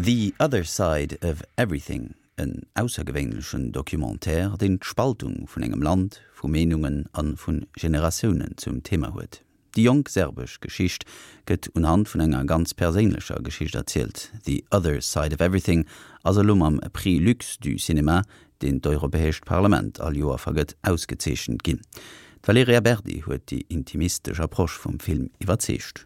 The Other Side of Everything, en aussergewéinlechen Documentaire, deen d'Spaltung vun engem Land, vu Meenungen a vu Generatiounen zum Thema huet. Déi jonk serbesch Geschicht gëtt unhand vun enger ganz perséinlecher Geschicht erzielt. The Other Side of Everything ass elo mam Prix Lux du Cinéma, deen d'Europäescht Parlament all Joer vergëtt, ausgezeechent ginn. D'Valerija Berdi huet déi intimistesch Approche vum Film iwwerzeegt.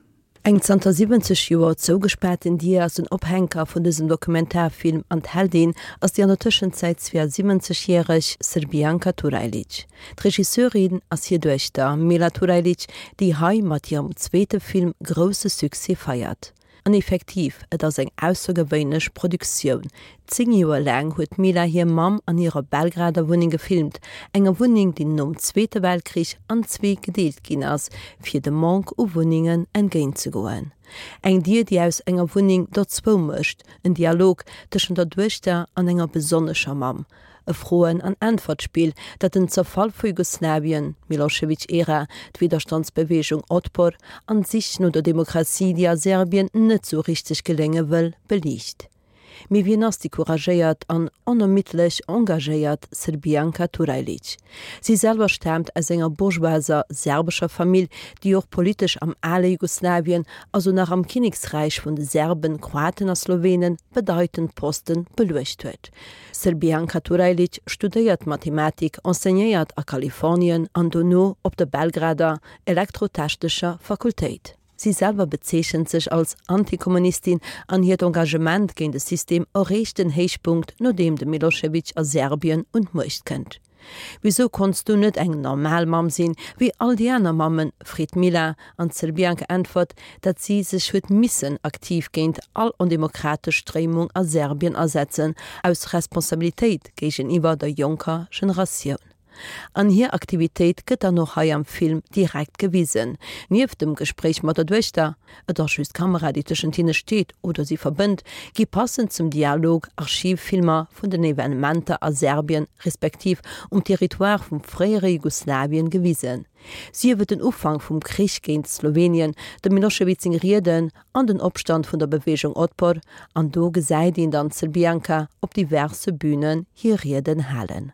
Eng zanter 70 Joer zougespaarten Dier ass den Ophänker vun dësem Dokumentarfilm an d'Heldin ass déi an der Tëschenzäit 72 järeg Srbijanka Turajlic. D'Regisseurin ass hir Duechter Mila Turajlic, déi hei mat hirem zweete Film grousse Succès feiert. An effektiv, et ass eng aussergewéinlech Produktioun. 10 Joer laang huet d'Mila hir Mamm an hirer Belgrader Wunneng gefilmt, enger Wunneng, déi nom Zweete Weltkrich an zwee gedeelt ginn ass, fir dem Manque u Wunnengen entgéint ze goen. Eng Dier, déi aus enger Wunneng der zwou mécht, en Dialog tëschent der Duechter an enger besonnescher Mamm, E Froen an Äntwertspill, dat den Zerfall vu Jugoslawien, d'Milošević-Ära, d'Widderstandsbeweegung Otpor an d'Sich no der Demokratie, déi a Serbien net sou richteg gelénge wëll, beliicht. Mee wien ass déi couragéiert an onermiddlech engagéiert Srbijanka Turajlić? Si selwer staamt aus enger bourgeoiser serbescher Famill, déi och politesch am ale Jugoslawien, also nach am Kinneksräich vun de Serben, Kroaten a Slowenen, bedeitend Poste beluecht huet. Srbijanka Turajlić studéiert Mathematik, enseignéiert a Kalifornien an dono op der Belgrader Elektrotechnescher Fakultéit. Si selwer bezeechent sech als Antikommunistin an hiert Engagement géint de System erreecht den Héichpunkt nodeem de Milošević a Serbien un d'Muecht kënnt. Wisou konns du net eng normal Mamm sinn, wéi all déi aner Mammen? freet d'Mila, an d'Srbianka äntwert, datt si sech huet missen aktiv géint all ondemokratesch Stréimung a Serbien asetzen, aus Responsabilitéit géigeniwwer der jonker Generatioun. An hir Aktivitéit gëtt dann och hei am Film direkt gewisen, nieft dem Gespréich mat der Duechter, et ass just d'Kamera déi tëschent hinne steet oder si verbënnt, gi passend zum Dialog Archivfilmer vun den Evenementer a Serbien respektiv um Territoire vum fréiere Jugoslawien gewisen. Sief et den Ufank vum Krich géint Slowenien, dem Milošević seng Rieden an den Opstand vun der Beweegung Otpor, an do gesäit een dann d'Srbijanka op diverse Bünen hir Rieden halen.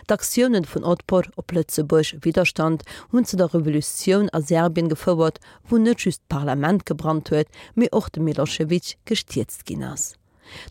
D'Aktiounen vun Otpor, op Lëtzebuerg Widderstand, hunn zu der Revolutioun a Serbien gefouert, wou net just d'Parlament gebrannt huet, mee och de Milošević gestierzt ginn ass.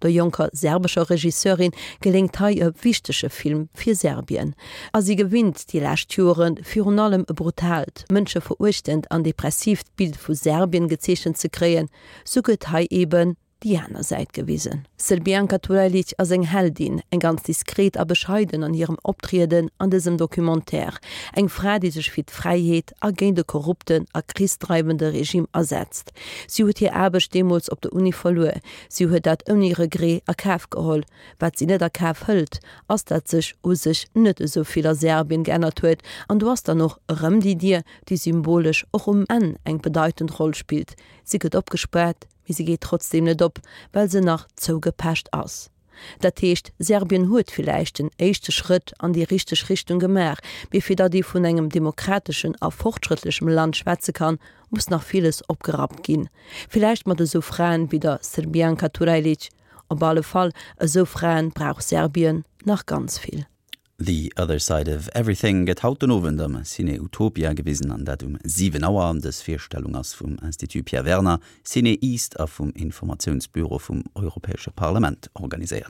Der jonker serbescher Regisseurin geléngt hei e wichtege Film fir Serbien. A si gewinnt déi lescht Jore virun allem e brutaalt, mënscheveruechtend an depressiivt Bild vu Serbien gezeechent ze kréien, sou gëtt hei eben déi aner Säit gewisen. Srbijanka Turajlic ass eng Heldin, eng ganz diskret a bescheiden an hirem Optrieden an dësem Documentaire. Eng Fra, déi sech fir d'Fräiheet a géint e korrupten a krichsdreiwende Regime asetzt. Si huet hir Aarbecht deemools op der Uni verluer. Si huet dat ouni Regret a Kaf geholl. Wat si net a Kaf hëlt, ass dat sech u sech net esou vill a Serbien geännert huet. An do ass dann och erëm déi Dier, déi symbolesch och um Enn eng bedeitend Roll spillt. Si gëtt opgespaart, mee se geet trotzdeem net op, well se nach zougepecht ass. Dat heescht, Serbien huet villäicht den éischte Schrëtt an déi richteg Richtung gemaach, mee fir datt ee vun engem demokrateschen a fortschrëttlechem Land schwätze kann, muss nach villes opgerappt ginn. Villäicht mat esou Fraen wéi der Srbijanka Turajlic. Op alle Fall, esou Fraen brauch Serbien nach ganz vill. The Other Side of Everything gëtt haut den Owend am Ciné Utopia gewisen, an dat um 7 Auer. Dës Virstellung ass vum Institut Pierre Werner, Ciné East a vum Informatiounsbüro vum Europäesche Parlament organiséiert.